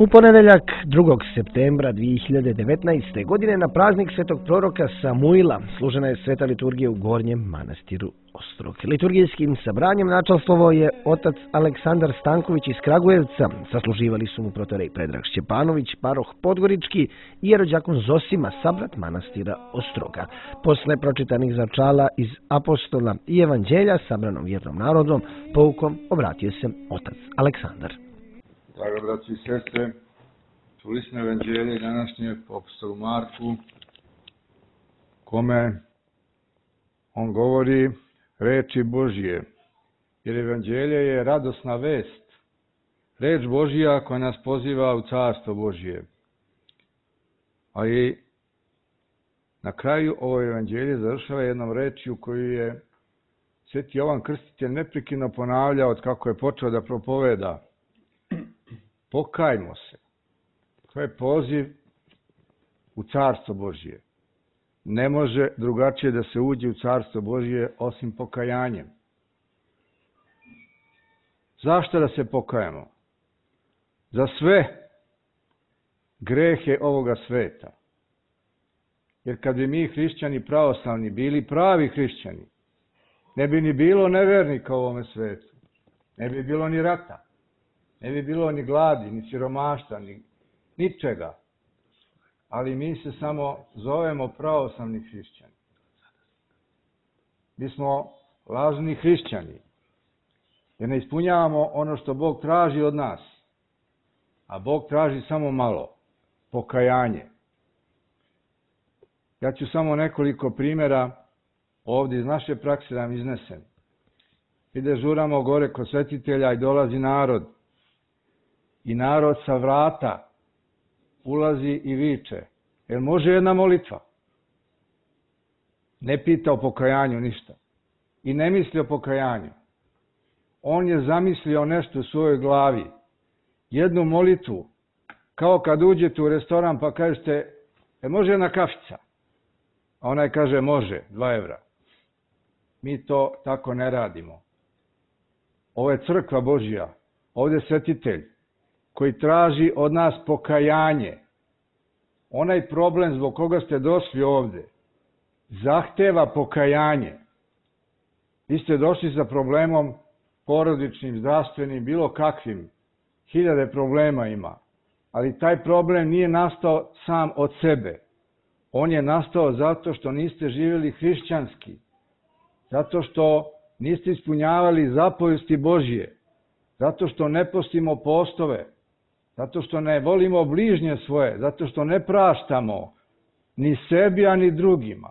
U ponedeljak 2. septembra 2019. godine na praznik svetog proroka Samuila služena je sveta liturgija u Gornjem manastiru Ostrog. Liturgijskim sabranjem načalstvovao je otac Aleksandar Stanković iz Kragujevca. Sasluživali su mu protorej Predrag Šćepanović, paroh Podgorički i jerođakon Zosima, sabrat manastira Ostroga. Posle pročitanih začala iz apostola i evanđelja sabranom vjernom narodom, poukom obratio se otac Aleksandar. Draga braći i sestre, čuli smo evanđelje današnje po apostolu Marku, kome on govori reči Božje, jer evanđelje je radosna vest, reč Božja koja nas poziva u carstvo Božje. A i na kraju ovo evanđelje završava jednom rečju koju je sveti Jovan Krstitelj neprekidno ponavljao od kako je počeo da propoveda. Pokajmo se. To je poziv u carstvo Božje. Ne može drugačije da se uđe u carstvo Božje osim pokajanjem. Zašto da se pokajamo? Za sve grehe ovoga sveta. Jer kad bi mi hrišćani pravoslavni bili pravi hrišćani, ne bi ni bilo nevernika u ovome svetu. Ne bi bilo ni rata. Ne bi bilo ni gladi, ni siromaštva, ni ničega. Ali mi se samo zovemo pravoslavni hrišćani. Mi smo lažni hrišćani. Jer ne ispunjavamo ono što Bog traži od nas. A Bog traži samo malo. Pokajanje. Ja ću samo nekoliko primjera ovdje iz naše prakse da vam iznesem. Mi dežuramo gore kod svetitelja i dolazi narod. I narod sa vrata ulazi i viče. Jel može jedna molitva? Ne pita o pokajanju ništa. I ne misli o pokajanju. On je zamislio nešto u svojoj glavi. Jednu molitvu. Kao kad uđete u restoran pa kažete, može jedna kafica? A onaj kaže, može, 2 evra. Mi to tako ne radimo. Ovo je crkva Božja. Ovdje je svetitelj koji traži od nas pokajanje. Onaj problem zbog koga ste došli ovdje zahteva pokajanje. Vi ste došli sa problemom porodičnim, zdravstvenim, bilo kakvim. 1000 problema ima. Ali taj problem nije nastao sam od sebe. On je nastao zato što niste živjeli hrišćanski. Zato što niste ispunjavali zapovesti Božje. Zato što ne postimo postove. Zato što ne volimo bližnje svoje, zato što ne praštamo ni sebi, a ni drugima.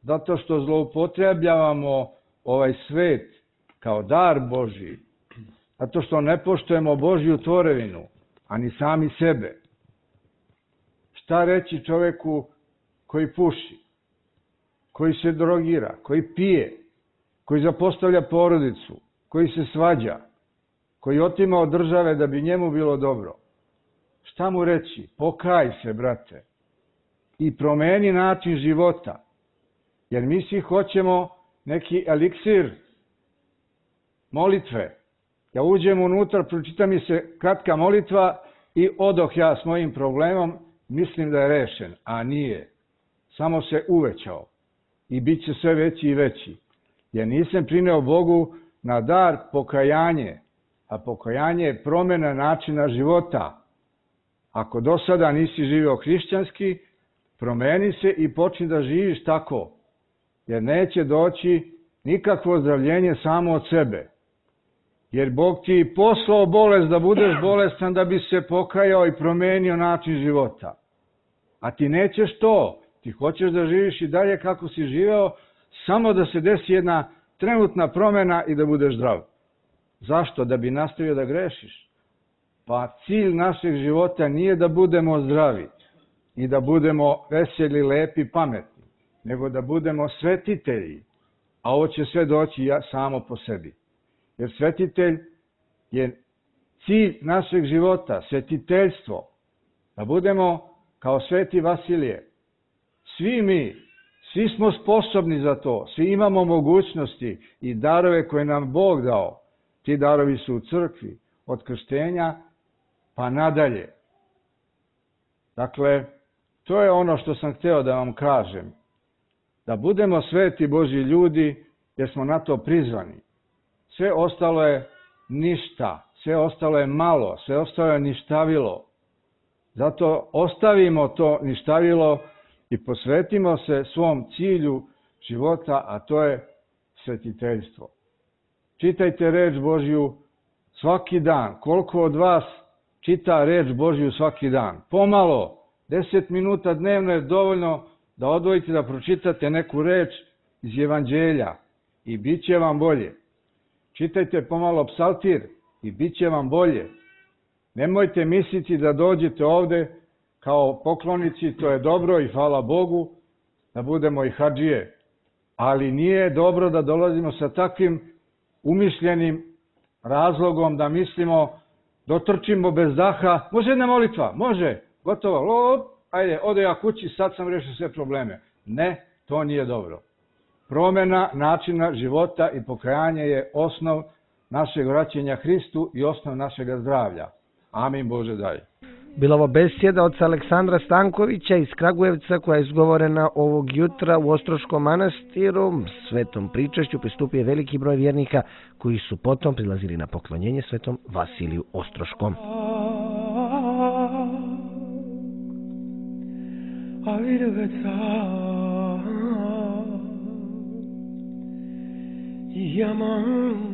Zato što zloupotrebljavamo ovaj svet kao dar Božji. Zato što ne poštujemo Božju tvorevinu, a ni sami sebe. Šta reći čovjeku koji puši, koji se drogira, koji pije, koji zapostavlja porodicu, koji se svađa, koji otima od države da bi njemu bilo dobro. Šta mu reći? Pokaj se, brate. I promeni način života. Jer mi svi hoćemo neki eliksir molitve. Ja uđem unutra, pročita mi se kratka molitva i odoh ja s mojim problemom, mislim da je rešen. A nije. Samo se uvećao. I bit će sve veći i veći. Jer nisam prineo Bogu na dar pokajanje. A pokajanje je promjena načina života. Ako do sada nisi živio hrišćanski, promeni se i počni da živiš tako. Jer neće doći nikakvo ozdravljenje samo od sebe. Jer Bog ti je poslao bolest da budeš bolestan da bi se pokajao i promenio način života. A ti nećeš to. Ti hoćeš da živiš i dalje kako si živeo, samo da se desi jedna trenutna promjena i da budeš zdrav. Zašto? Da bi nastavio da grešiš. Pa cilj našeg života nije da budemo zdravi i da budemo veseli, lepi, pametni, nego da budemo svetitelji. a ovo će sve doći samo po sebi. Jer svetitelj je cilj našeg života, svetiteljstvo, da budemo kao sveti Vasilije. Svi smo sposobni za to, svi imamo mogućnosti i darove koje nam Bog dao. Ti darovi su u crkvi, od krštenja pa nadalje. Dakle, to je ono što sam hteo da vam kažem. Da budemo sveti Božji ljudi, jer smo na to prizvani. Sve ostalo je ništa, sve ostalo je malo, sve ostalo je ništavilo. Zato ostavimo to ništavilo i posvetimo se svom cilju života, a to je svetiteljstvo. Čitajte reč Božju svaki dan. Koliko od vas čita reč Božju svaki dan? Pomalo, 10 minuta dnevno je dovoljno da odvojite da pročitate neku reč iz Evanđelja i bit će vam bolje. Čitajte pomalo psaltir i bit će vam bolje. Nemojte misliti da dođete ovde kao poklonici, to je dobro i hvala Bogu, da budemo i hadžije. Ali nije dobro da dolazimo sa takvim umišljenim razlogom da mislimo, dotrčimo bez daha, može jedna molitva, može, gotovo, ajde, ode ja kući, sad sam rešio sve probleme. Ne, to nije dobro. Promjena načina života i pokajanje je osnov našeg vraćanja Hristu i osnov našeg zdravlja. Amin Bože daj. Bila ovo besjeda od Aleksandra Stankovića iz Kragujevca koja je izgovorena ovog jutra u Ostroškom manastiru. Svetom pričašću pristupio je veliki broj vjernika koji su potom prilazili na poklonjenje svetom Vasiliju Ostroškom. Yaman